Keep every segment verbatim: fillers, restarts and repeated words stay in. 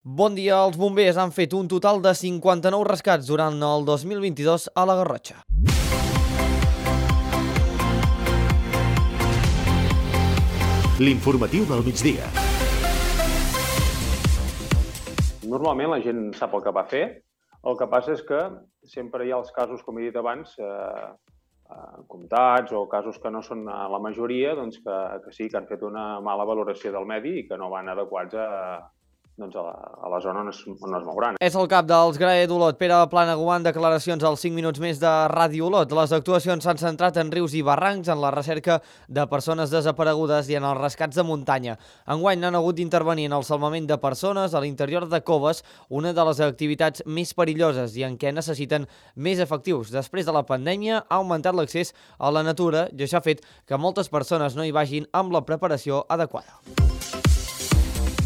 Bon dia, els bombers han fet un total de cinquanta-nou rescats durant el dos mil vint-i-dos a la Garrotxa. L'informatiu del migdia. Normalment la gent sap el que va fer, el que passa és que sempre hi ha els casos, com he dit abans, eh, eh, comptats o casos que no són la majoria, doncs que, que sí, que han fet una mala valoració del medi i que no van adequats a, doncs a, la, a la zona on es, on es mouran. És el cap dels Grae d'Olot, Pere Planagua, en declaracions als cinc minuts més de Ràdio Olot. Les actuacions s'han centrat en rius i barrancs, en la recerca de persones desaparegudes i en els rescats de muntanya. Enguany han hagut d'intervenir en el salvament de persones a l'interior de coves, una de les activitats més perilloses i en què necessiten més efectius. Després de la pandèmia ha augmentat l'accés a la natura i això ha fet que moltes persones no hi vagin amb la preparació adequada.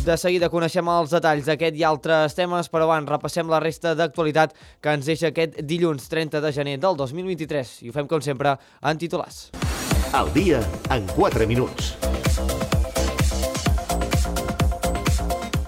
De seguida coneixem els detalls d'aquest i altres temes, però abans repassem la resta d'actualitat que ens deixa aquest dilluns trenta de gener del dos mil vint-i-tres. I ho fem, com sempre, en titulars. Al dia, en quatre minuts.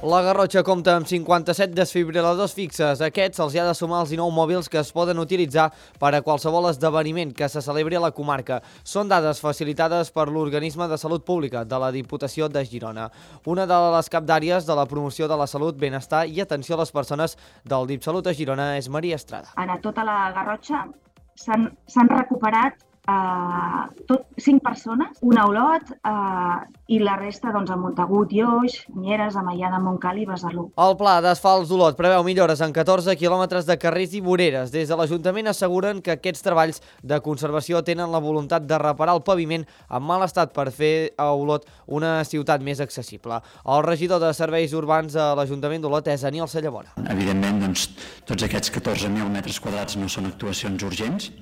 La Garrotxa compta amb cinquanta-set desfibriladors fixes. A aquests se'ls ha de sumar els dinou mòbils que es poden utilitzar per a qualsevol esdeveniment que se celebri a la comarca. Són dades facilitades per l'Organisme de Salut Pública de la Diputació de Girona. Una de les capdàries de la promoció de la salut, benestar i atenció a les persones del DipSalut a Girona és Maria Estrada. A tota la Garrotxa s'han recuperat Uh, tot cinc persones, una a Olot uh, i la resta doncs, a Montagut i Oix, Mieres, Amaià, Montcal i Besalú. El pla d'asfalts d'Olot preveu millores en catorze quilòmetres de carrers i voreres. Des de l'Ajuntament asseguren que aquests treballs de conservació tenen la voluntat de reparar el paviment en mal estat per fer a Olot una ciutat més accessible. El regidor de Serveis Urbans a l'Ajuntament d'Olot és Aniol Sallavora. Evidentment, doncs, tots aquests catorze mil metres quadrats no són actuacions urgents.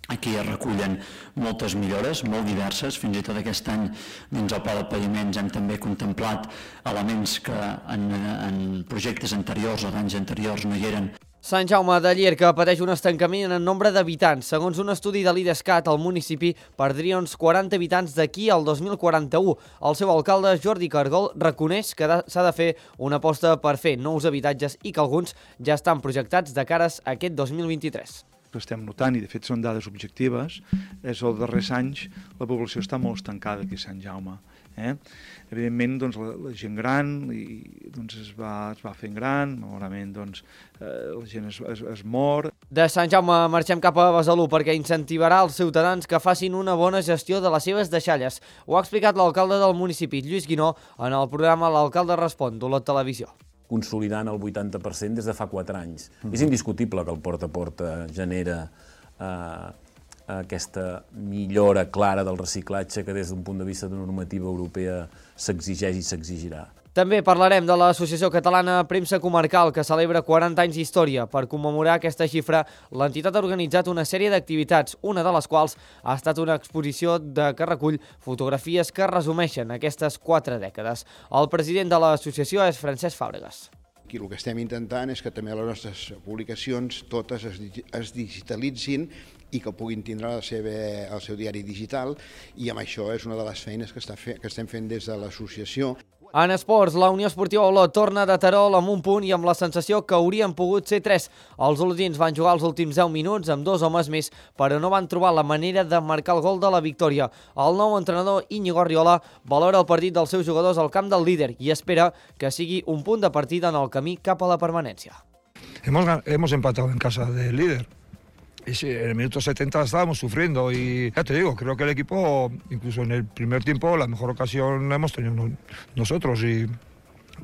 Aquí es recullen moltes millores, molt diverses. Fins i tot aquest any doncs, al pla de paviments hem també contemplat elements que en, en projectes anteriors o d'anys anteriors no hi eren. Sant Jaume de Llierca pateix un estancament en nombre d'habitants. Segons un estudi de l'Idescat, el municipi perdria uns quaranta habitants d'aquí al dos mil quaranta-u. El seu alcalde, Jordi Cargol, reconeix que s'ha de fer una aposta per fer nous habitatges i que alguns ja estan projectats de cares a aquest dos mil vint-i-tres. Que estem notant, i de fet són dades objectives, és que els darrers anys la població està molt estancada aquí a Sant Jaume. Eh? Evidentment, doncs, la, la gent gran i, doncs, es, va, es va fent gran, malauradament doncs, eh, la gent es, es, es mor. De Sant Jaume marxem cap a Besalú perquè incentivarà els ciutadans que facin una bona gestió de les seves deixalles. Ho ha explicat l'alcalde del municipi, Lluís Guinó, en el programa L'Alcalde Respon d'Olot Televisió. Consolidant el vuitanta per cent des de fa quatre anys. Mm-hmm. És indiscutible que el porta a porta genera eh, aquesta millora clara del reciclatge que des d'un punt de vista de normativa europea s'exigeix i s'exigirà. També parlarem de l'Associació Catalana Premsa Comarcal, que celebra quaranta anys d'història. Per commemorar aquesta xifra, l'entitat ha organitzat una sèrie d'activitats, una de les quals ha estat una exposició de que recull fotografies que resumeixen aquestes quatre dècades. El president de l'associació és Francesc Fàbregas. Aquí el que estem intentant és que també les nostres publicacions totes es, es digitalitzin i que puguin tindre la seva, el seu diari digital, i amb això és una de les feines que, està fe, que estem fent des de l'associació. En esports, la Unió Esportiva Olot torna de Terol amb un punt i amb la sensació que haurien pogut ser tres. Els olotins van jugar els últims deu minuts amb dos homes més, però no van trobar la manera de marcar el gol de la victòria. El nou entrenador Íñigo Arriola valora el partit dels seus jugadors al camp del líder i espera que sigui un punt de partida en el camí cap a la permanència. Hemos, hemos empatado en casa del líder. Y sí, en el minuto setenta estábamos sufriendo y ya te digo, creo que el equipo, incluso en el primer tiempo, la mejor ocasión la hemos tenido nosotros y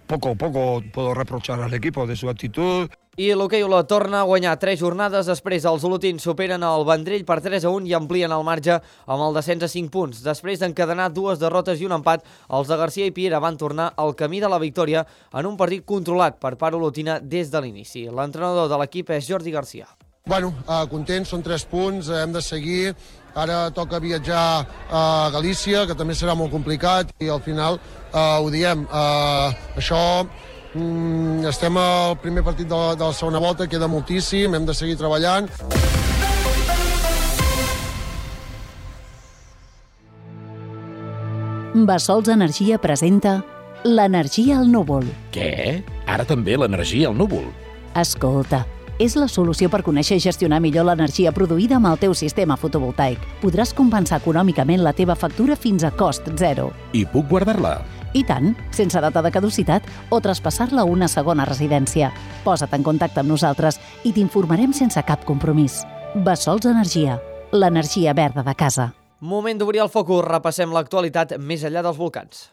poco a poco puedo reprochar al equipo de su actitud. I l'hoquei Olot torna a guanyar tres jornades després. Els olotins superen el Vendrell per tres a un i amplien el marge amb el descens a cinc punts. Després d'encadenar dues derrotes i un empat, els de Garcia i Piera van tornar al camí de la victòria en un partit controlat per part olotina des de l'inici. L'entrenador de l'equip és Jordi Garcia. Bueno, eh, contents, són tres punts, hem de seguir. Ara toca viatjar a Galícia, que també serà molt complicat, i al final eh, ho diem. Eh, això, mm, estem al primer partit de la, de la segona volta, queda moltíssim, hem de seguir treballant. Bassols Energia presenta l'energia al núvol. Què? Ara també l'energia al núvol. Escolta, és la solució per conèixer i gestionar millor l'energia produïda amb el teu sistema fotovoltaic. Podràs compensar econòmicament la teva factura fins a cost zero. I puc guardar-la? I tant, sense data de caducitat o traspassar-la a una segona residència. Posa't en contacte amb nosaltres i t'informarem sense cap compromís. Bessols Energia, l'energia verda de casa. Moment d'obrir el focus, repassem l'actualitat més enllà dels volcans.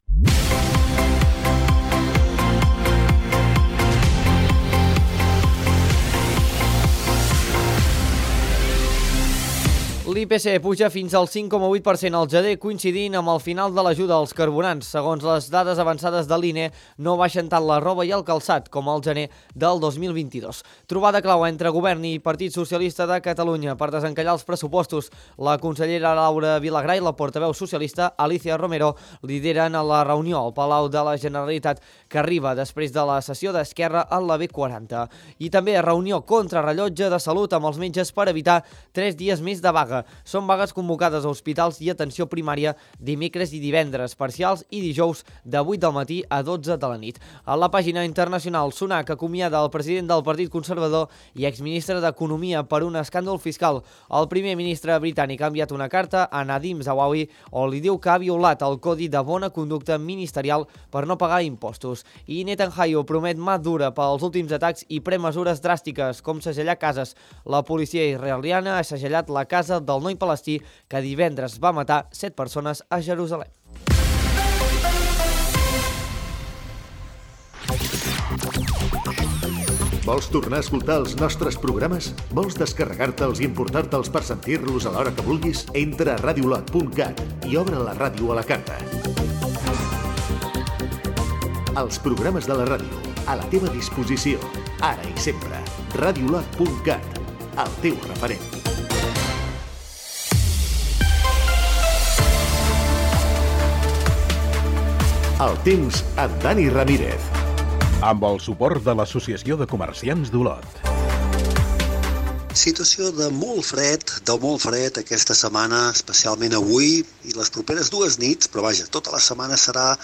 L'I P C puja fins al cinc coma vuit per cent al gener, coincidint amb el final de l'ajuda als carburants. Segons les dades avançades de l'I N E, no baixen tant la roba i el calçat com al gener del dos mil vint-i-dos. Trobada clau entre Govern i Partit Socialista de Catalunya per desencallar els pressupostos. La consellera Laura Vilagrà i la portaveu socialista Alicia Romero lideren a la reunió al Palau de la Generalitat que arriba després de la sessió d'Esquerra a la B quaranta. I també reunió contrarrellotge de salut amb els metges per evitar tres dies més de vaga. Són vagues convocades a hospitals i atenció primària dimecres i divendres, parcials i dijous de vuit del matí a dotze de la nit. A la pàgina internacional, Sunak acomiada el president del Partit Conservador i exministre d'Economia per un escàndol fiscal. El primer ministre britànic ha enviat una carta a Nadim Zawawi on li diu que ha violat el codi de bona conducta ministerial per no pagar impostos. I Netanyahu promet mà dura pels últims atacs i pren mesures dràstiques, com segellar cases. La policia israeliana ha segellat la casa del noi palestí que divendres va matar set persones a Jerusalem. Vols tornar a escoltar els nostres programes? Vols descarregar-te'ls i importar-te'ls per sentir-los a l'hora que vulguis? Entra a radiolot punt cat i obre la ràdio a la carta. Els programes de la ràdio, a la teva disposició, ara i sempre. radiolot punt cat, el teu referent. El temps amb Dani Ramírez. Amb el suport de l'Associació de Comerciants d'Olot. Situació de molt fred, de molt fred aquesta setmana, especialment avui i les properes dues nits, però vaja, tota la setmana serà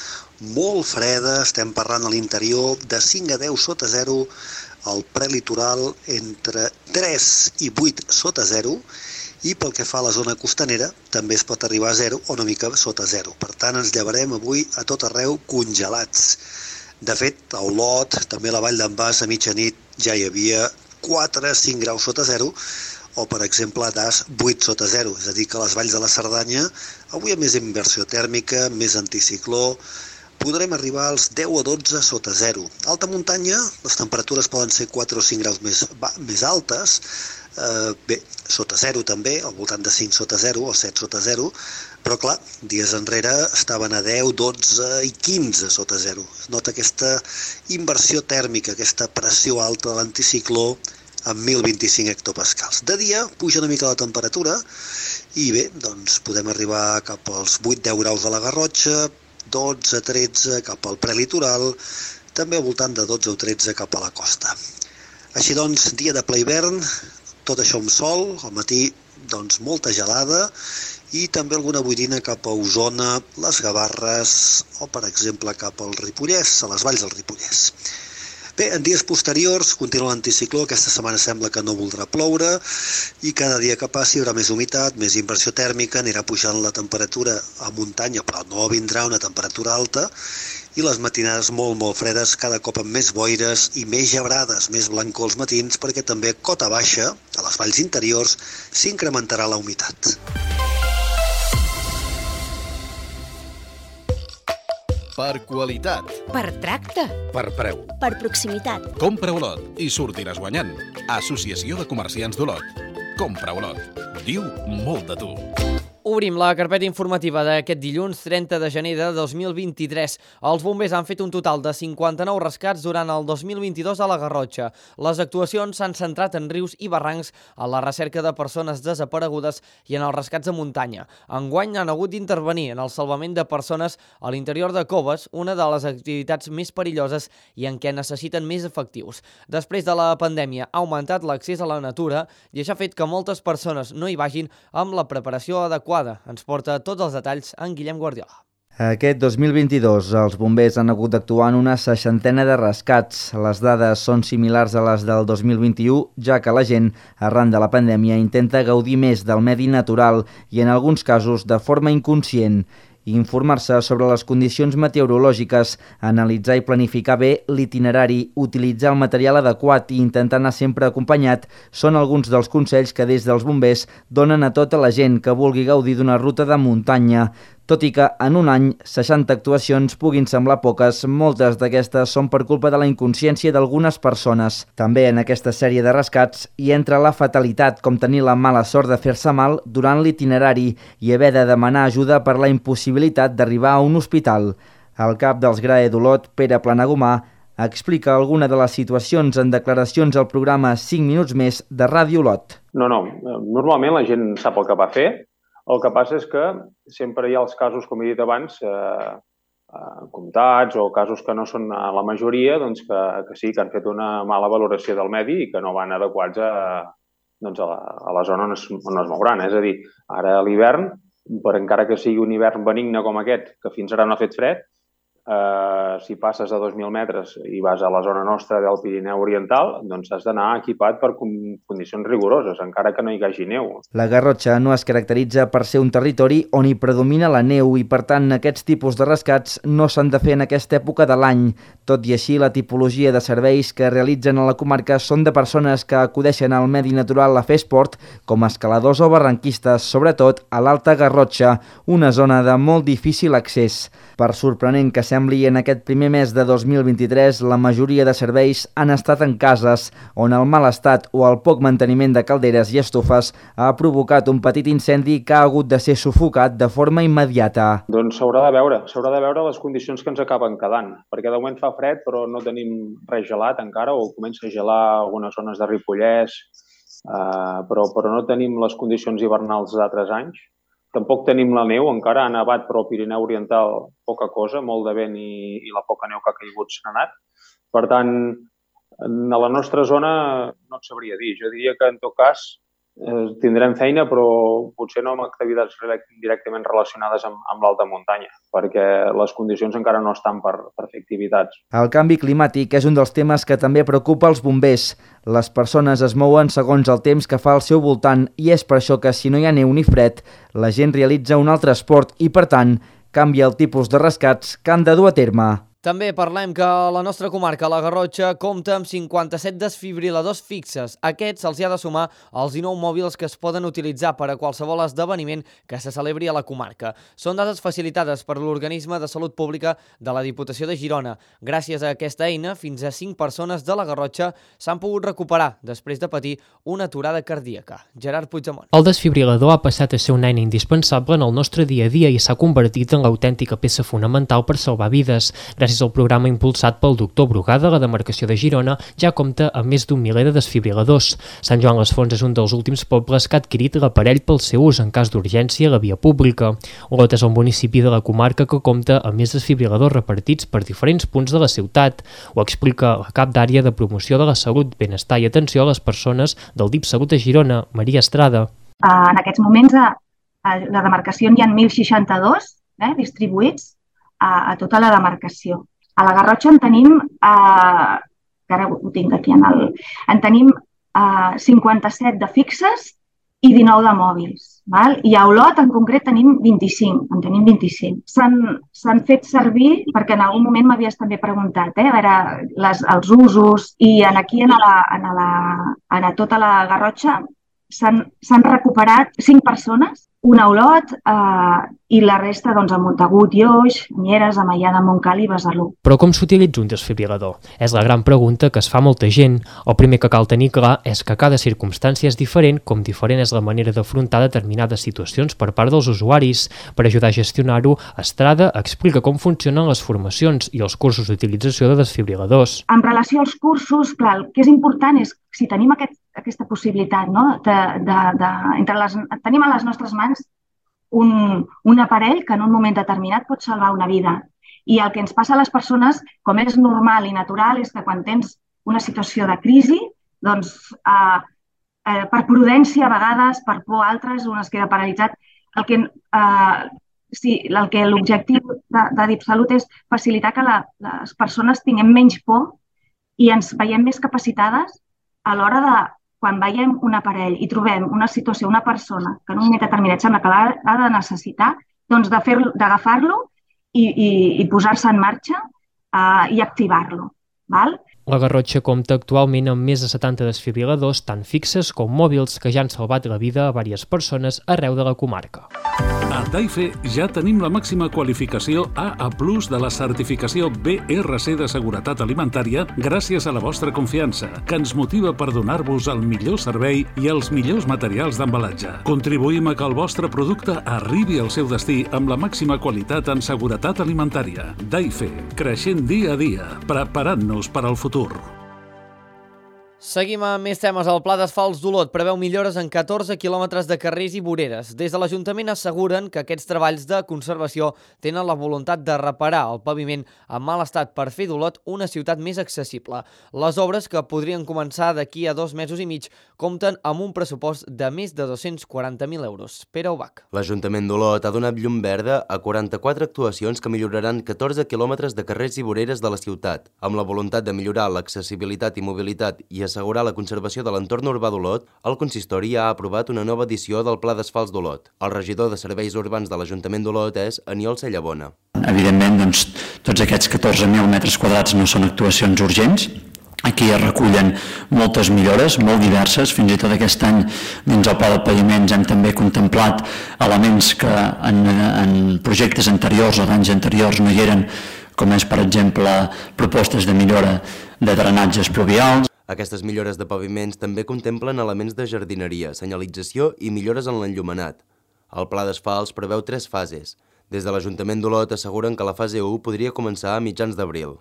molt freda. Estem parlant a l'interior de cinc a deu sota zero, al prelitoral entre tres i vuit sota zero, i pel que fa a la zona costanera també es pot arribar a zero o una mica sota zero. Per tant, ens llevarem avui a tot arreu congelats. De fet, a Olot, també a la Vall d'en Bas, a mitjanit ja hi havia quatre a cinc graus sota zero, o per exemple a Das vuit sota zero. És a dir, que a les valls de la Cerdanya avui hi ha més inversió tèrmica, més anticicló, podrem arribar als deu o dotze sota zero. A alta muntanya, les temperatures poden ser quatre o cinc graus més, va, més altes, eh, bé, sota zero també, al voltant de cinc sota zero o set sota zero, però clar, dies enrere estaven a deu, dotze i quinze sota zero. Es nota aquesta inversió tèrmica, aquesta pressió alta de l'anticicló amb mil vint-i-cinc hectopascals. De dia puja una mica la temperatura i bé, doncs podem arribar cap als vuit a deu graus a la Garrotxa, dotze a tretze cap al prelitoral, també al voltant de dotze o tretze cap a la costa. Així doncs, dia de ple hivern, tot això amb sol, al matí doncs molta gelada i també alguna boirina cap a Osona, les Gavarres o per exemple cap al Ripollès, a les valls del Ripollès. Bé, en dies posteriors continua l'anticicló, aquesta setmana sembla que no voldrà ploure i cada dia que passi hi haurà més humitat, més inversió tèrmica, anirà pujant la temperatura a muntanya, però no vindrà una temperatura alta i les matinades molt, molt fredes, cada cop amb més boires i més gebrades, més blancor als matins, perquè també a cota baixa, a les valls interiors, s'incrementarà la humitat. Per qualitat. Per tracte. Per preu. Per proximitat. Compra Olot i sortiràs guanyant. Associació de Comerciants d'Olot. Compra Olot. Diu molt de tu. Obrim la carpeta informativa d'aquest dilluns trenta de gener de dos mil vint-i-tres. Els bombers han fet un total de cinquanta-nou rescats durant el dos mil vint-i-dos a la Garrotxa. Les actuacions s'han centrat en rius i barrancs, a la recerca de persones desaparegudes i en els rescats de muntanya. Enguany han hagut d'intervenir en el salvament de persones a l'interior de coves, una de les activitats més perilloses i en què necessiten més efectius. Després de la pandèmia ha augmentat l'accés a la natura i això ha fet que moltes persones no hi vagin amb la preparació adequada. Ens porta tots els detalls en Guillem Guardiola. Aquest dos mil vint-i-dos els bombers han hagut d'actuar en una seixantena de rescats. Les dades són similars a les del dos mil vint-i-u, ja que la gent, arran de la pandèmia, intenta gaudir més del medi natural i, en alguns casos, de forma inconscient. Informar-se sobre les condicions meteorològiques, analitzar i planificar bé l'itinerari, utilitzar el material adequat i intentar anar sempre acompanyat són alguns dels consells que des dels bombers donen a tota la gent que vulgui gaudir d'una ruta de muntanya. Tot i que en un any seixanta actuacions puguin semblar poques, moltes d'aquestes són per culpa de la inconsciència d'algunes persones. També en aquesta sèrie de rescats hi entra la fatalitat, com tenir la mala sort de fer-se mal durant l'itinerari i haver de demanar ajuda per la impossibilitat d'arribar a un hospital. El cap dels G R A E d'Olot, Pere Planagumà, explica alguna de les situacions en declaracions al programa cinc minuts més de Ràdio Olot. No, no, normalment la gent sap el que va fer. El que passa és que sempre hi ha els casos, com he dit abans, eh, eh, comptats o casos que no són la majoria, doncs que, que sí, que han fet una mala valoració del medi i que no van adequats a, doncs a, la, a la zona on es, on es mouran. És a dir, ara a l'hivern, per encara que sigui un hivern benigne com aquest, que fins ara no ha fet fred, eh, si passes a dos mil metres i vas a la zona nostra del Pirineu Oriental, doncs has d'anar equipat per condicions rigoroses, encara que no hi hagi neu. La Garrotxa no es caracteritza per ser un territori on hi predomina la neu i, per tant, aquests tipus de rescats no s'han de fer en aquesta època de l'any. Tot i així, la tipologia de serveis que realitzen a la comarca són de persones que acudeixen al medi natural a fer esport, com escaladors o barranquistes, sobretot a l'Alta Garrotxa, una zona de molt difícil accés. Per sorprenent que sembli, en aquest primer mes de dos mil vint-i-tres, la majoria de serveis han estat en cases, on el mal estat o el poc manteniment de calderes i estufes ha provocat un petit incendi que ha hagut de ser sufocat de forma immediata. Doncs s'haurà de veure, s'haurà de veure les condicions que ens acaben quedant, perquè de moment fa fred però no tenim res gelat encara, o comença a gelar algunes zones de Ripollès, eh, però, però no tenim les condicions hivernals d'altres anys. Tampoc tenim la neu, encara ha nevat, però al Pirineu Oriental poca cosa, molt de vent i, i la poca neu que ha caigut s'ha anat. Per tant, a la nostra zona no et sabria dir. Jo diria que en tot cas eh, tindrem feina, però potser no amb activitats directament relacionades amb, amb l'alta muntanya, perquè les condicions encara no estan per, per fer activitats. El canvi climàtic és un dels temes que també preocupa els bombers. Les persones es mouen segons el temps que fa al seu voltant i és per això que si no hi ha neu ni fred, la gent realitza un altre esport i, per tant, canvia el tipus de rescats que han de dur a terme. També parlem que la nostra comarca, la Garrotxa, compta amb cinquanta-set desfibriladors fixes. Aquests se'ls ha de sumar als dinou mòbils que es poden utilitzar per a qualsevol esdeveniment que se celebri a la comarca. Són dades facilitades per l'Organisme de Salut Pública de la Diputació de Girona. Gràcies a aquesta eina, fins a cinc persones de la Garrotxa s'han pogut recuperar després de patir una aturada cardíaca. Gerard Puigdemont. El desfibrilador ha passat a ser una eina indispensable en el nostre dia a dia i s'ha convertit en l'autèntica peça fonamental per salvar vides. Gràcies al programa impulsat pel doctor Brugada, la demarcació de Girona ja compta amb més d'un miler de desfibriladors. Sant Joan les Fonts és un dels últims pobles que ha adquirit l'aparell pel seu ús en cas d'urgència a la via pública. Olot és el municipi de la comarca que compta amb més desfibriladors repartits per diferents punts de la ciutat. Ho explica la cap d'àrea de promoció de la salut, benestar i atenció a les persones del D I P Salut de Girona, Maria Estrada. En aquests moments a la demarcació n'hi ha mil seixanta-dos eh, distribuïts a, a tota la demarcació. A la Garrotxa en tenim, eh, que ara ho tinc aquí, en, el, en tenim eh, cinquanta-set de fixes i dinou de mòbils. Val? I a Olot en concret tenim vint-i-cinc, en tenim vint-i-cinc. S'han fet servir, perquè en algun moment m'havies també preguntat, eh, a veure, les, els usos, i en aquí en, la, en, la, en tota la Garrotxa s'han recuperat cinc persones, una a Olot eh, i la resta doncs, a Montagut i Oix, Mieres, a Maià de Montcal i Besalú. Però com s'utilitza un desfibrilador? És la gran pregunta que es fa molta gent. El primer que cal tenir clar és que cada circumstància és diferent, com diferent és la manera d'afrontar determinades situacions per part dels usuaris. Per ajudar a gestionar-ho, Estrada explica com funcionen les formacions i els cursos d'utilització de desfibriladors. En relació als cursos, clar, el que és important és si tenim aquest, aquesta possibilitat, no? de, de, de, entre les, tenim a les nostres mans un, un aparell que en un moment determinat pot salvar una vida. I el que ens passa a les persones, com és normal i natural, és que quan tens una situació de crisi, doncs eh, eh, per prudència a vegades, per por a altres, un es queda paralitzat. El que, eh, sí, el que l'objectiu de, de DipSalut és facilitar que la, les persones tinguem menys por i ens veiem més capacitades a l'hora de, quan veiem un aparell i trobem una situació, una persona que en un moment determinat sembla que l'ha de necessitar, doncs d'agafar-lo i, i, i posar-se en marxa uh, i activar-lo. Val? La Garrotxa compta actualment amb més de setanta desfibriladors, tant fixes com mòbils, que ja han salvat la vida a diverses persones arreu de la comarca. A Daife ja tenim la màxima qualificació A A plus de la certificació B R C de seguretat alimentària gràcies a la vostra confiança, que ens motiva per donar-vos el millor servei i els millors materials d'embalatge. Contribuïm a que el vostre producte arribi al seu destí amb la màxima qualitat en seguretat alimentària. Daife, creixent dia a dia, preparant-nos per al futur. Seguim amb més temes. El Pla d'Asfalts d'Olot preveu millores en catorze quilòmetres de carrers i voreres. Des de l'Ajuntament asseguren que aquests treballs de conservació tenen la voluntat de reparar el paviment en mal estat per fer d'Olot una ciutat més accessible. Les obres, que podrien començar d'aquí a dos mesos i mig, compten amb un pressupost de més de dos-cents quaranta mil euros. Pere Ubach. L'Ajuntament d'Olot ha donat llum verda a quaranta-quatre actuacions que milloraran catorze quilòmetres de carrers i voreres de la ciutat, amb la voluntat de millorar l'accessibilitat i mobilitat i assegurar la conservació de l'entorn urbà d'Olot. El consistori ha aprovat una nova edició del Pla d'Asfalts d'Olot. El regidor de Serveis Urbans de l'Ajuntament d'Olot és Aniol Cellabona. Evidentment, doncs, tots aquests catorze mil metres quadrats no són actuacions urgents. Aquí es recullen moltes millores, molt diverses. Fins i tot aquest any, dins el pla de paviments, hem també contemplat elements que en, en projectes anteriors o d'anys anteriors no hi eren, com és, per exemple, propostes de millora de drenatges pluvials. Aquestes millores de paviments també contemplen elements de jardineria, senyalització i millores en l'enllumenat. El pla d'asfalts preveu tres fases. Des de l'Ajuntament d'Olot asseguren que la fase u podria començar a mitjans d'abril.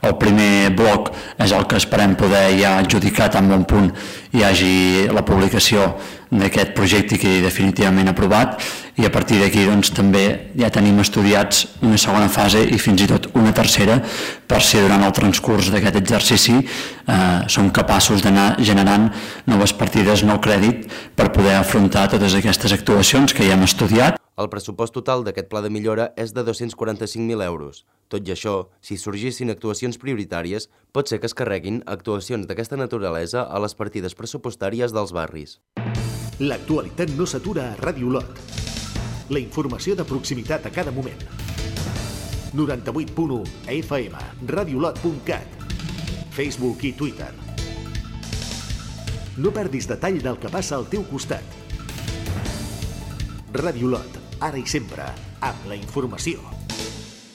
El primer bloc és el que esperem poder ja adjudicar tan bon punt hi hagi la publicació d'aquest projecte que definitivament aprovat, i a partir d'aquí doncs, també ja tenim estudiats una segona fase i fins i tot una tercera, per si durant el transcurs d'aquest exercici eh, som capaços d'anar generant noves partides, nou crèdit, per poder afrontar totes aquestes actuacions que ja hem estudiat. El pressupost total d'aquest pla de millora és de dos-cents quaranta-cinc mil euros. Tot i això, si sorgissin actuacions prioritàries, pot ser que es carreguin actuacions d'aquesta naturalesa a les partides pressupostàries dels barris. L'actualitat no s'atura a Ràdio Olot. La informació de proximitat a cada moment. noranta-vuit punt u a F M, radiolot punt cat, Facebook i Twitter. No perdis detall del que passa al teu costat. Ràdio Olot, ara i sempre, amb la informació.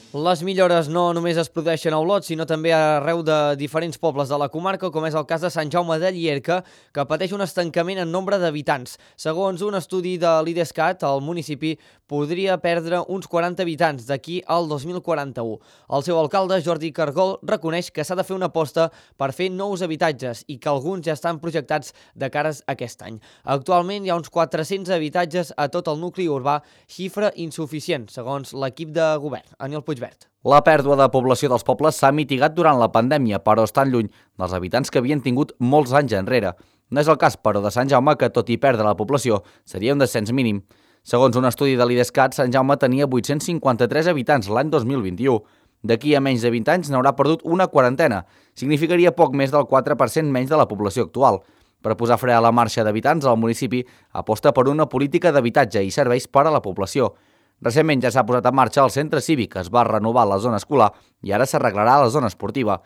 Les millores no només es produeixen a Olot, sinó també arreu de diferents pobles de la comarca, com és el cas de Sant Jaume de Llierca, que pateix un estancament en nombre d'habitants. Segons un estudi de l'Idescat, el municipi podria perdre uns quaranta habitants d'aquí al dos mil quaranta-u. El seu alcalde, Jordi Cargol, reconeix que s'ha de fer una aposta per fer nous habitatges i que alguns ja estan projectats de cares a aquest any. Actualment hi ha uns quatre-cents habitatges a tot el nucli urbà, xifra insuficient, segons l'equip de govern. Aniol Puigverd. La pèrdua de població dels pobles s'ha mitigat durant la pandèmia, però estan lluny dels habitants que havien tingut molts anys enrere. No és el cas, però, de Sant Jaume, que tot i perdre la població seria un descens mínim. Segons un estudi de l'Idescat, Sant Jaume tenia vuit-cents cinquanta-tres habitants l'any dos mil vint-i-u. D'aquí a menys de vint anys n'haurà perdut una quarantena. Significaria poc més del quatre per cent menys de la població actual. Per posar fre a la marxa d'habitants, el municipi aposta per una política d'habitatge i serveis per a la població. Recentment ja s'ha posat en marxa el centre cívic, es va renovar la zona escolar i ara s'arreglarà la zona esportiva.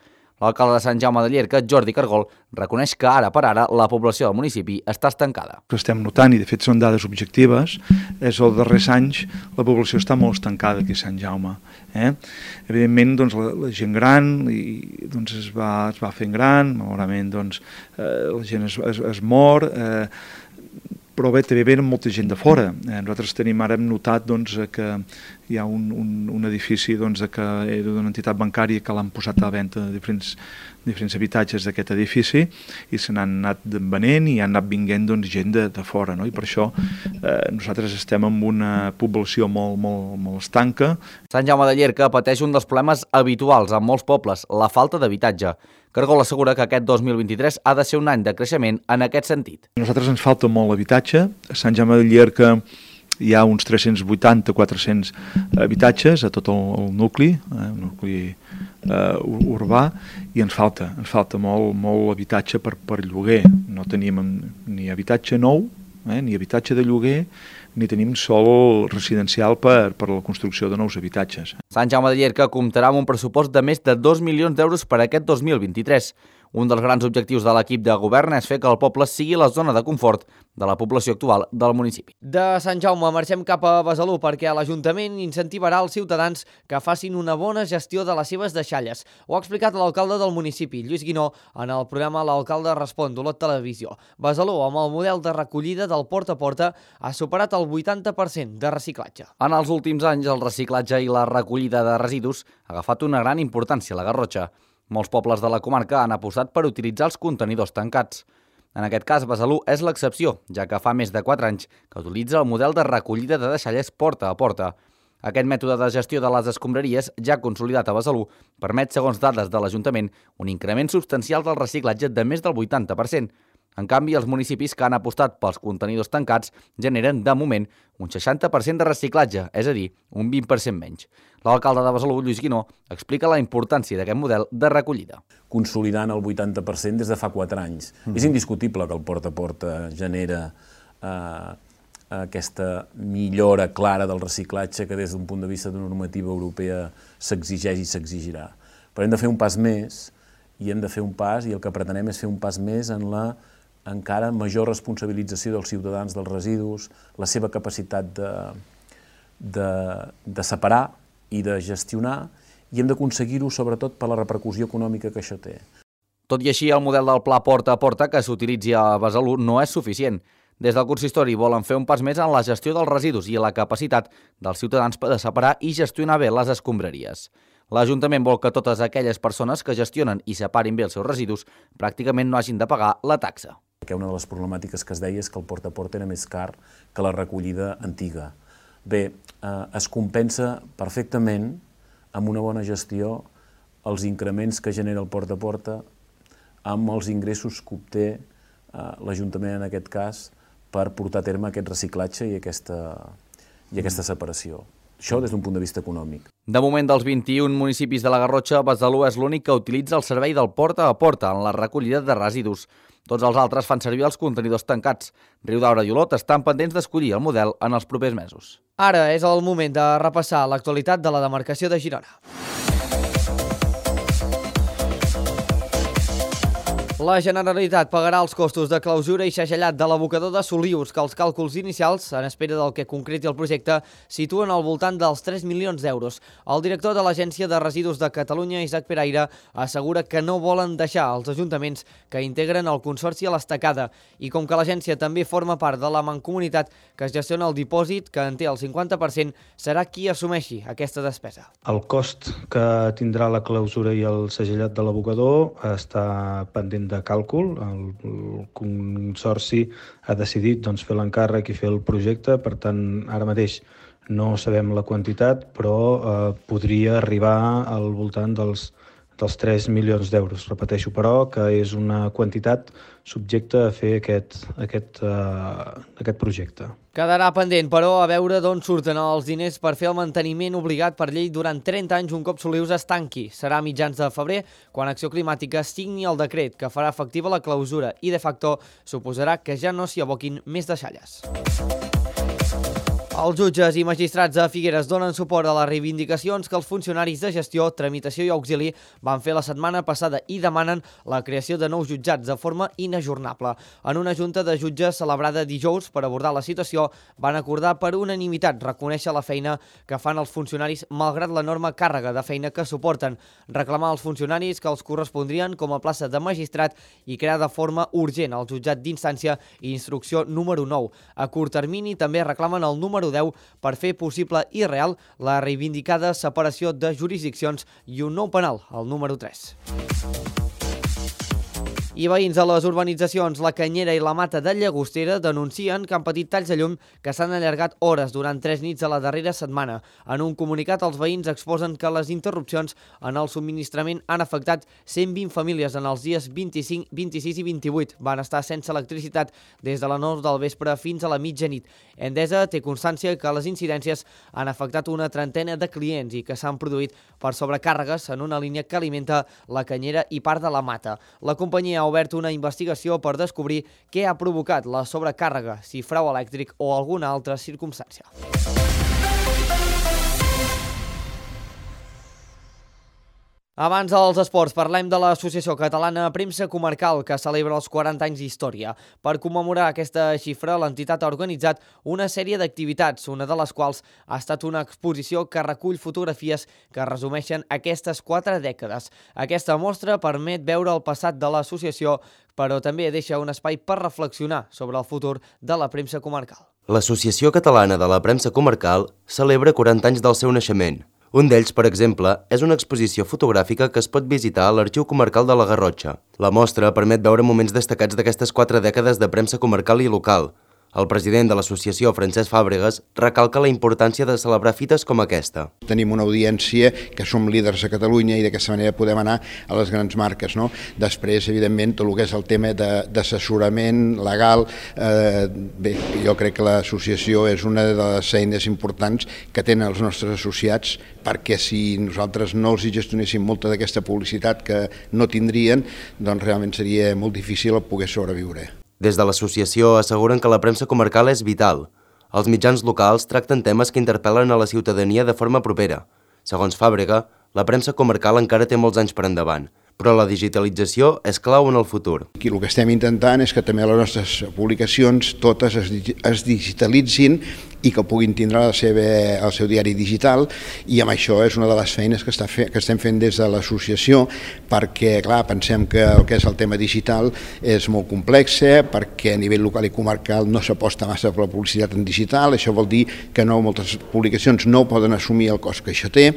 L'alcalde de Sant Jaume de Llierca, Jordi Cargol, reconeix que ara per ara la població del municipi està estancada. El que estem notant, i de fet són dades objectives, és que els darrers anys la població està molt estancada aquí a Sant Jaume. Eh? Evidentment, doncs, la, la gent gran i, doncs, es, va, es va fent gran, malauradament doncs, eh, la gent es, es, es mor, eh, però bé, també venen molta gent de fora. Eh, nosaltres tenim, ara hem notat doncs, que hi ha un, un, un edifici doncs, que era d'una entitat bancària que l'han posat a la venda de diferents, diferents habitatges d'aquest edifici i se n'han anat venent i han anat vinguent doncs, gent de, de fora. No? I per això eh, nosaltres estem en una població molt, molt, molt estanca. Sant Jaume de Llierca pateix un dels problemes habituals en molts pobles, la falta d'habitatge. Cargol assegura que aquest dos mil vint-i-tres ha de ser un any de creixement en aquest sentit. A nosaltres ens falta molt habitatge. A Sant Jaume de Llierca hi ha uns tres-cents vuitanta a quatre-cents habitatges a tot el, el nucli, eh, el nucli eh, urbà, i ens falta, ens falta molt, molt habitatge per, per lloguer. No tenim ni habitatge nou, eh, ni habitatge de lloguer, ni tenim sol residencial per, per la construcció de nous habitatges. Sant Jaume de Llierca comptarà amb un pressupost de més de dos milions d'euros per a aquest dos mil vint-i-tres. Un dels grans objectius de l'equip de govern és fer que el poble sigui la zona de confort de la població actual del municipi. De Sant Jaume marxem cap a Besalú perquè l'Ajuntament incentivarà els ciutadans que facin una bona gestió de les seves deixalles. Ho ha explicat l'alcalde del municipi, Lluís Guinó, en el programa L'Alcalde Respon d'Olot Televisió. Besalú, amb el model de recollida del porta a porta, ha superat el vuitanta per cent de reciclatge. En els últims anys, el reciclatge i la recollida de residus ha agafat una gran importància a la Garrotxa. Molts pobles de la comarca han apostat per utilitzar els contenidors tancats. En aquest cas, Besalú és l'excepció, ja que fa més de quatre anys que utilitza el model de recollida de deixalles porta a porta. Aquest mètode de gestió de les escombraries, ja consolidat a Besalú, permet, segons dades de l'Ajuntament, un increment substancial del reciclatge de més del vuitanta per cent. En canvi, els municipis que han apostat pels contenidors tancats generen, de moment, un seixanta per cent de reciclatge, és a dir, un vint per cent menys. L'alcalde de Besalú, Lluís Guinó, explica la importància d'aquest model de recollida. Consolidant el vuitanta per cent des de fa quatre anys. Mm-hmm. És indiscutible que el porta a porta genera eh, aquesta millora clara del reciclatge que des d'un punt de vista de normativa europea s'exigeix i s'exigirà. Però hem de fer un pas més, i hem de fer un pas, i el que pretenem és fer un pas més en la encara major responsabilització dels ciutadans dels residus, la seva capacitat de, de, de separar i de gestionar, i hem d'aconseguir-ho sobretot per la repercussió econòmica que això té. Tot i així, el model del pla porta a porta que s'utilitzi a Besalú no és suficient. Des del consistori volen fer un pas més en la gestió dels residus i la capacitat dels ciutadans de separar i gestionar bé les escombraries. L'Ajuntament vol que totes aquelles persones que gestionen i separin bé els seus residus pràcticament no hagin de pagar la taxa. Una de les problemàtiques que es deia és que el porta a porta era més car que la recollida antiga. Bé, eh, es compensa perfectament amb una bona gestió els increments que genera el porta a porta amb els ingressos que obté eh, l'Ajuntament en aquest cas per portar a terme aquest reciclatge i aquesta, i aquesta separació. Això des d'un punt de vista econòmic. De moment, dels vint-i-un municipis de la Garrotxa, Besalú és l'únic que utilitza el servei del porta a porta en la recollida de residus. Tots els altres fan servir els contenidors tancats. Riudaura i Olot estan pendents d'escollir el model en els propers mesos. Ara és el moment de repassar l'actualitat de la demarcació de Girona. La Generalitat pagarà els costos de clausura i segellat de l'abocador de Solius, que els càlculs inicials, en espera del que concreti el projecte, situen al voltant dels tres milions d'euros. El director de l'Agència de Residus de Catalunya, Isaac Peraire, assegura que no volen deixar els ajuntaments que integren el Consorci a l'estacada, i com que l'agència també forma part de la mancomunitat que es gestiona el dipòsit, que en té el cinquanta per cent, serà qui assumeixi aquesta despesa. El cost que tindrà la clausura i el segellat de l'abocador està pendent de càlcul. El, el Consorci ha decidit doncs, fer l'encàrrec i fer el projecte, per tant, ara mateix no sabem la quantitat, però eh, podria arribar al voltant dels, dels tres milions d'euros. Repeteixo, però, que és una quantitat subjecte a fer aquest, aquest, eh, aquest projecte. Quedarà pendent, però, a veure d'on surten els diners per fer el manteniment obligat per llei durant trenta anys un cop Solius es tanqui. Serà a mitjans de febrer, quan Acció Climàtica signi el decret que farà efectiva la clausura i, de facto, suposarà que ja no s'hi aboquin més deixalles. Els jutges i magistrats de Figueres donen suport a les reivindicacions que els funcionaris de gestió, tramitació i auxili van fer la setmana passada i demanen la creació de nous jutjats de forma inajornable. En una junta de jutges celebrada dijous per abordar la situació, van acordar per unanimitat reconèixer la feina que fan els funcionaris malgrat l'enorme càrrega de feina que suporten, reclamar als funcionaris que els correspondrien com a plaça de magistrat i crear de forma urgent el jutjat d'instància i instrucció número nou. A curt termini també reclamen el número deu per fer possible i real la reivindicada separació de jurisdiccions i un nou penal, el número tres. I veïns a les urbanitzacions La Canyera i la Mata de Llagostera denuncien que han patit talls de llum que s'han allargat hores durant tres nits a la darrera setmana. En un comunicat, els veïns exposen que les interrupcions en el subministrament han afectat cent vint famílies en els dies vint-i-cinc, vint-i-sis i vint-i-vuit. Van estar sense electricitat des de les nou del vespre fins a la mitjanit. Endesa té constància que les incidències han afectat una trentena de clients i que s'han produït per sobrecàrregues en una línia que alimenta La Canyera i part de la Mata. La companyia ha obert una investigació per descobrir què ha provocat la sobrecàrrega, si frau elèctric o alguna altra circumstància. Abans dels esports, parlem de l'Associació Catalana Premsa Comarcal, que celebra els quaranta anys d'història. Per commemorar aquesta xifra, l'entitat ha organitzat una sèrie d'activitats, una de les quals ha estat una exposició que recull fotografies que resumeixen aquestes quatre dècades. Aquesta mostra permet veure el passat de l'associació, però també deixa un espai per reflexionar sobre el futur de la premsa comarcal. L'Associació Catalana de la Premsa Comarcal celebra quaranta anys del seu naixement. Un d'ells, per exemple, és una exposició fotogràfica que es pot visitar a l'Arxiu Comarcal de la Garrotxa. La mostra permet veure moments destacats d'aquestes quatre dècades de premsa comarcal i local. El president de l'associació, Francesc Fàbregas, recalca la importància de celebrar fites com aquesta. Tenim una audiència que som líders a Catalunya i d'aquesta manera podem anar a les grans marques, no? Després, evidentment, tot el que és el tema d'assessorament legal, eh, bé, jo crec que l'associació és una de les eines importants que tenen els nostres associats, perquè si nosaltres no els gestionéssim molta d'aquesta publicitat que no tindrien, doncs realment seria molt difícil poder sobreviure. Des de l'associació asseguren que la premsa comarcal és vital. Els mitjans locals tracten temes que interpel·len a la ciutadania de forma propera. Segons Fàbrega, la premsa comarcal encara té molts anys per endavant, però la digitalització és clau en el futur. Aquí el que estem intentant és que també les nostres publicacions totes es, es digitalitzin i que puguin tindre la seva, el seu diari digital, i amb això és una de les feines que, està fe, que estem fent des de l'associació, perquè clar, pensem que el que és el tema digital és molt complex, perquè a nivell local i comarcal no s'aposta massa per la publicitat en digital. Això vol dir que no, moltes publicacions no poden assumir el cost que això té,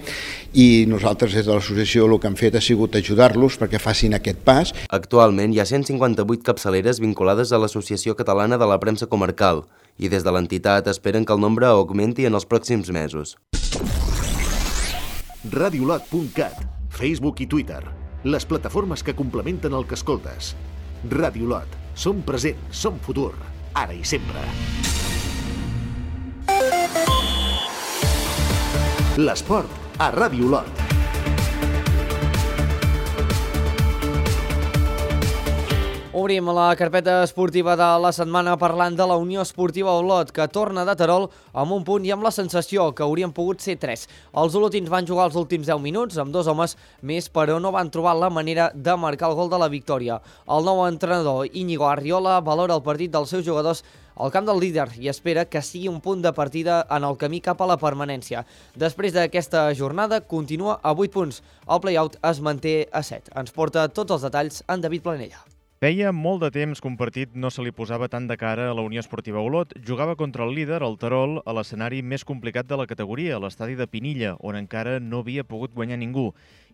i nosaltres des de l'associació el que hem fet ha sigut ajudar-los perquè facin aquest pas. Actualment hi ha cent cinquanta-vuit capçaleres vinculades a l'Associació Catalana de la Premsa Comarcal, i des de l'entitat esperen que el nombre augmenti en els pròxims mesos. radiolot punt cat, Facebook i Twitter, les plataformes que complementen el que escoltes. Radiolot, som present, som futur, ara i sempre. L'esport a Radiolot. Obrim la carpeta esportiva de la setmana parlant de la Unió Esportiva Olot, que torna de Terol amb un punt i amb la sensació que haurien pogut ser tres. Els olotins van jugar els últims deu minuts amb dos homes més, però no van trobar la manera de marcar el gol de la victòria. El nou entrenador Íñigo Arriola valora el partit dels seus jugadors al camp del líder i espera que sigui un punt de partida en el camí cap a la permanència. Després d'aquesta jornada continua a vuit punts. El play-out es manté a set. Ens porta tots els detalls en David Planella. Feia molt de temps que un partit no se li posava tant de cara a la Unió Esportiva Olot. Jugava contra el líder, el Terol, a l'escenari més complicat de la categoria, a l'estadi de Pinilla, on encara no havia pogut guanyar ningú.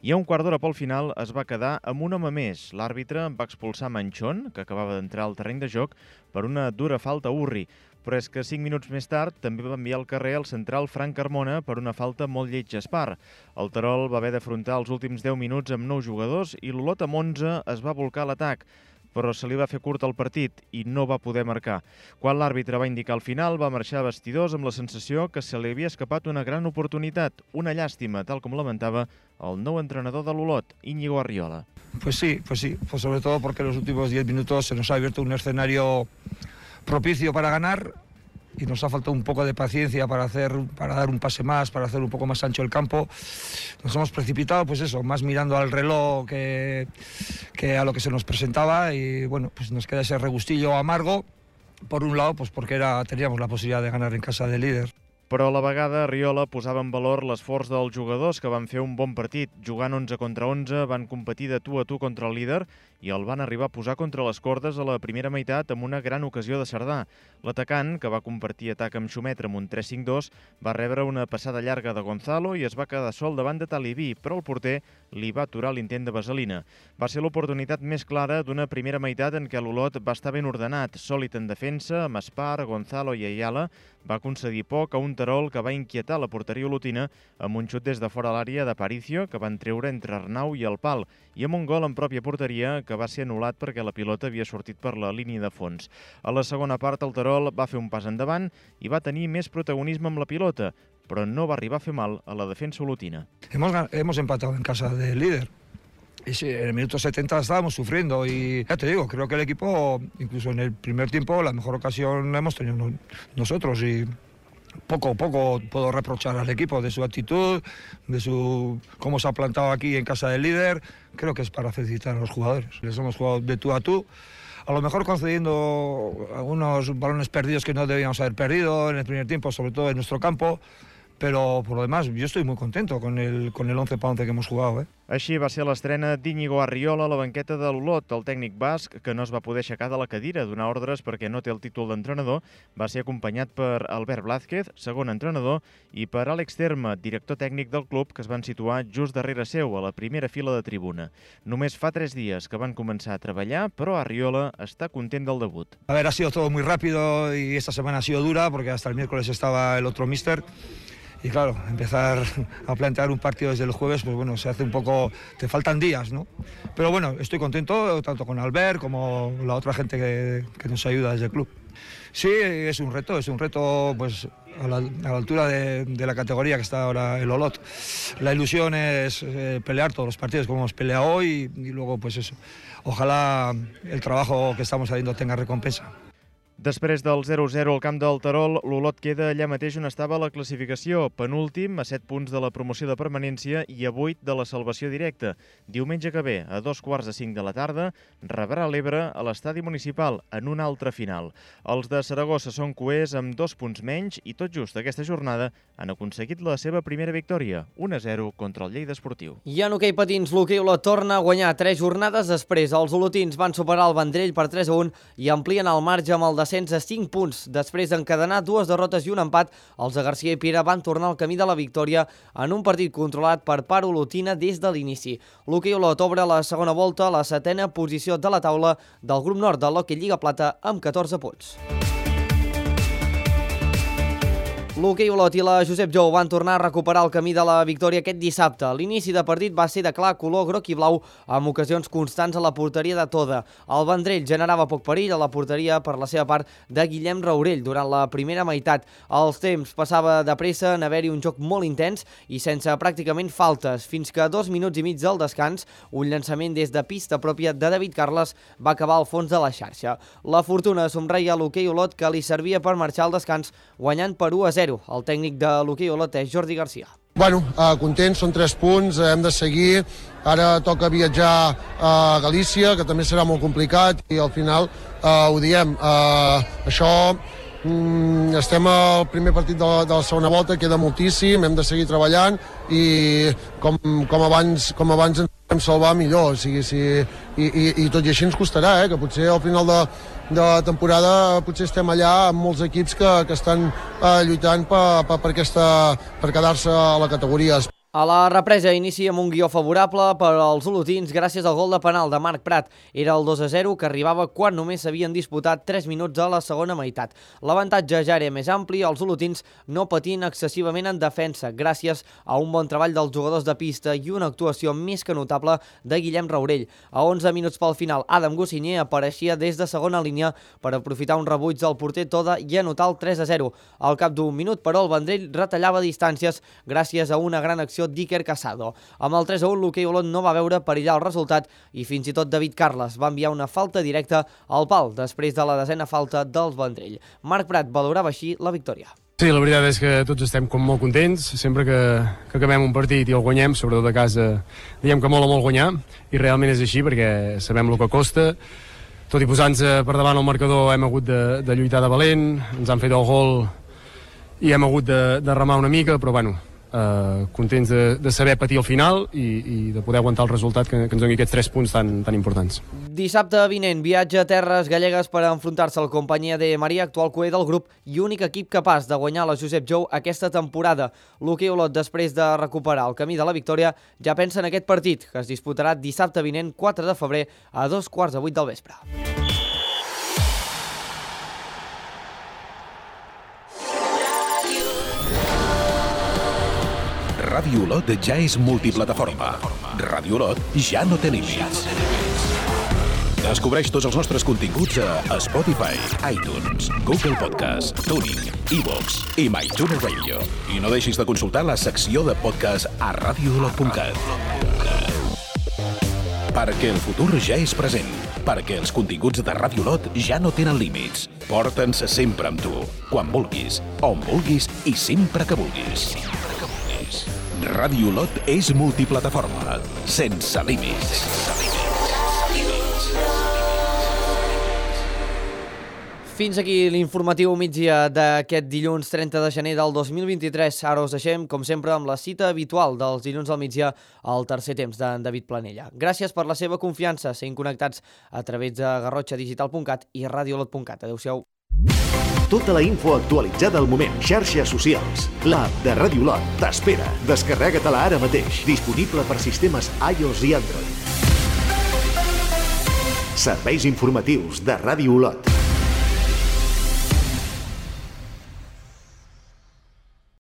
I a un quart d'hora pel final es va quedar amb un home més. L'àrbitre va expulsar Manchón, que acabava d'entrar al terreny de joc, per una dura falta a Urri. Però és que cinc minuts més tard també va enviar al carrer el central Frank Carmona per una falta molt lletja a Espar. El Terol va haver d'afrontar els últims deu minuts amb nou jugadors i l'Olot amb onze es va volcar a l'atac, però se li va fer curt el partit i no va poder marcar. Quan l'àrbitre va indicar el final, va marxar a vestidors amb la sensació que se li havia escapat una gran oportunitat, una llàstima, tal com lamentava el nou entrenador de l'Olot, Íñigo Arriola. Pues sí, pues sí, pues sobre todo porque en los últimos diez minutos se nos ha abierto un escenario propicio para ganar y nos ha faltado un poco de paciencia para hacer, para dar un pase más, para hacer un poco más ancho el campo. Nos hemos precipitado, pues eso, más mirando al reloj que, que a lo que se nos presentaba, y bueno, pues nos queda ese regustillo amargo, por un lado, pues porque era, teníamos la posibilidad de ganar en casa del líder. Però a la vegada Arriola posava en valor l'esforç dels jugadors que van fer un bon partit. Jugant onze contra onze, van competir de tu a tu contra el líder i el van arribar a posar contra les cordes a la primera meitat amb una gran ocasió de Cerdà. L'atacant, que va compartir atac amb Xumetra amb un tres cinc dos, va rebre una passada llarga de Gonzalo i es va quedar sol davant de Talibí, però el porter li va aturar l'intent de vaselina. Va ser l'oportunitat més clara d'una primera meitat en què l'Olot va estar ben ordenat, sòlid en defensa, amb Espar, Gonzalo i Ayala. Va concedir poc a un Terol que va inquietar la porteria olotina amb un xut des de fora l'àrea d'Aparicio que van treure entre Arnau i el pal i amb un gol en pròpia porteria que va ser anul·lat perquè la pilota havia sortit per la línia de fons. A la segona part el Terol va fer un pas endavant i va tenir més protagonisme amb la pilota, però no va arribar a fer mal a la defensa olotina. Hemos, hemos empatado en casa del líder. Y sí, en el minuto setenta estábamos sufriendo y ya te digo, creo que el equipo, incluso en el primer tiempo, la mejor ocasión la hemos tenido nosotros y poco poco puedo reprochar al equipo de su actitud, de su cómo se ha plantado aquí en casa del líder. Creo que es para felicitar a los jugadores. Les hemos jugado de tú a tú, a lo mejor concediendo algunos balones perdidos que no debíamos haber perdido en el primer tiempo, sobre todo en nuestro campo. Pero por lo demás, yo estoy muy contento con el, con el once para once que hemos jugado, ¿eh? Així va ser l'estrena d'Íñigo Arriola a la banqueta de l'Olot. El tècnic basc, que no es va poder aixecar de la cadira a donar ordres perquè no té el títol d'entrenador, va ser acompanyat per Albert Blázquez, segon entrenador, i per Àlex Terme, director tècnic del club, que es van situar just darrere seu, a la primera fila de tribuna. Només fa tres dies que van començar a treballar, però Arriola està content del debut. A ver, ha sido todo muy rápido y esta semana ha sido dura porque hasta el miércoles estaba el otro míster. Y claro, empezar a plantear un partido desde el jueves, pues bueno, se hace un poco... te faltan días, ¿no? Pero bueno, estoy contento, tanto con Albert como la otra gente que, que nos ayuda desde el club. Sí, es un reto, es un reto pues a la, a la altura de, de la categoría que está ahora el Olot. La ilusión es eh, pelear todos los partidos como hemos peleado hoy y, y luego pues eso. Ojalá el trabajo que estamos haciendo tenga recompensa. Després del zero zero al camp del Terol, l'Olot queda allà mateix on estava la classificació, penúltim, a set punts de la promoció de permanència i a vuit de la salvació directa. Diumenge que ve, a dos quarts de cinc de la tarda, rebrà l'Ebre a l'estadi municipal en una altra final. Els de Saragossa són coers amb dos punts menys i tot just aquesta jornada han aconseguit la seva primera victòria, un a zero contra el Lleida Esportiu. I en hoquei patins, l'hoquei Olot torna a guanyar tres jornades després. Els olotins van superar el Vendrell per tres a un i amplien el marge amb el descens a cinc punts. Després d'encadenar dues derrotes i un empat, els de Garcia i Pira van tornar al camí de la victòria en un partit controlat per part olotina des de l'inici. L'hoquei Olot obre la segona volta a la setena posició de la taula del grup nord de l'Hockey Lliga Plata amb catorze punts. L'hoquei Olot i la Josep Jou van tornar a recuperar el camí de la victòria aquest dissabte. L'inici de partit va ser de clar color groc i blau amb ocasions constants a la porteria de Toda. El Vendrell generava poc perill a la porteria per la seva part de Guillem Raurell durant la primera meitat. Els temps passava de pressa en haver-hi un joc molt intens i sense pràcticament faltes, fins que a dos minuts i mig del descans, un llançament des de pista pròpia de David Carles va acabar al fons de la xarxa. La fortuna somreia a l'hoquei Olot, que li servia per marxar al descans guanyant per u a zero. El tècnic de l'hoquei Olot és Jordi Garcia. Bueno, eh, contents, són tres punts, hem de seguir. Ara toca viatjar a Galícia, que també serà molt complicat, i al final eh, ho diem. Eh, això, mm, estem al primer partit de la, de la segona volta, queda moltíssim, hem de seguir treballant i com, com, abans, com abans ens podem salvar millor. O sigui, si, i, i, I tot i així ens costarà, eh, que potser al final de, de la temporada potser estem allà amb molts equips que, que estan eh, lluitant per, per, per, aquesta, per quedar-se a la categoria. A la represa inicia amb un guió favorable per als olotins gràcies al gol de penal de Marc Prat. Era el dos a zero que arribava quan només s'havien disputat tres minuts a la segona meitat. L'avantatge ja era més ampli, els olotins no patint excessivament en defensa gràcies a un bon treball dels jugadors de pista i una actuació més que notable de Guillem Raurell. A onze minuts pel final, Adam Gossinyer apareixia des de segona línia per aprofitar un rebuig del porter Toda i anotar el tres a zero. Al cap d'un minut, però, el Vendrell retallava distàncies gràcies a una gran acció d'Iker Casado. Amb el tres a un, l'hoquei Olot no va veure perillar el resultat i fins i tot David Carles va enviar una falta directa al pal després de la desena falta del Vendrell. Marc Prat valorava així la victòria. Sí, la veritat és que tots estem com molt contents, sempre que, que acabem un partit i el guanyem, sobretot a casa, diem que molt o molt guanyar, i realment és així perquè sabem el que costa. Tot i posant-se per davant el marcador hem hagut de, de lluitar de valent, ens han fet el gol i hem hagut de, de remar una mica, però bueno, eh, contents de, de saber patir al final i, i de poder aguantar el resultat que, que ens doni aquests tres punts tan, tan importants. Dissabte vinent, viatge a terres gallegues per enfrontar-se al Companyia de Maria, actual cuer del grup i únic equip capaç de guanyar la Josep Jou aquesta temporada. L'hoquei Olot, després de recuperar el camí de la victòria, ja pensa en aquest partit, que es disputarà dissabte vinent, quatre de febrer, a dos quarts de vuit del vespre. Ràdio Olot ja és multiplataforma. Ràdio Olot ja no té límits. Descobreix tots els nostres continguts a Spotify, iTunes, Google Podcast, Tuning, iVoox i MyTuner Radio. I no deixis de consultar la secció de podcast a radio olot punt cat. Perquè el futur ja és present. Perquè els continguts de Ràdio Olot ja no tenen límits. Porta'ns sempre amb tu, quan vulguis, on vulguis i sempre que vulguis. Ràdio Olot és multiplataforma, sense límits. Fins aquí l'informatiu migdia d'aquest dilluns trenta de gener del dos mil vint-i-tres. Ara us deixem, com sempre, amb la cita habitual dels dilluns al migdia al tercer temps d'en David Planella. Gràcies per la seva confiança, sent connectats a través de garrotxa digital punt cat i radio olot punt cat. Adéu-siau. Tota la info actualitzada al moment. Xarxes socials. L'app de Ràdio Olot t'espera. Descarrega-te-la ara mateix. Disponible per sistemes iOS i Android. Serveis informatius de Ràdio Olot.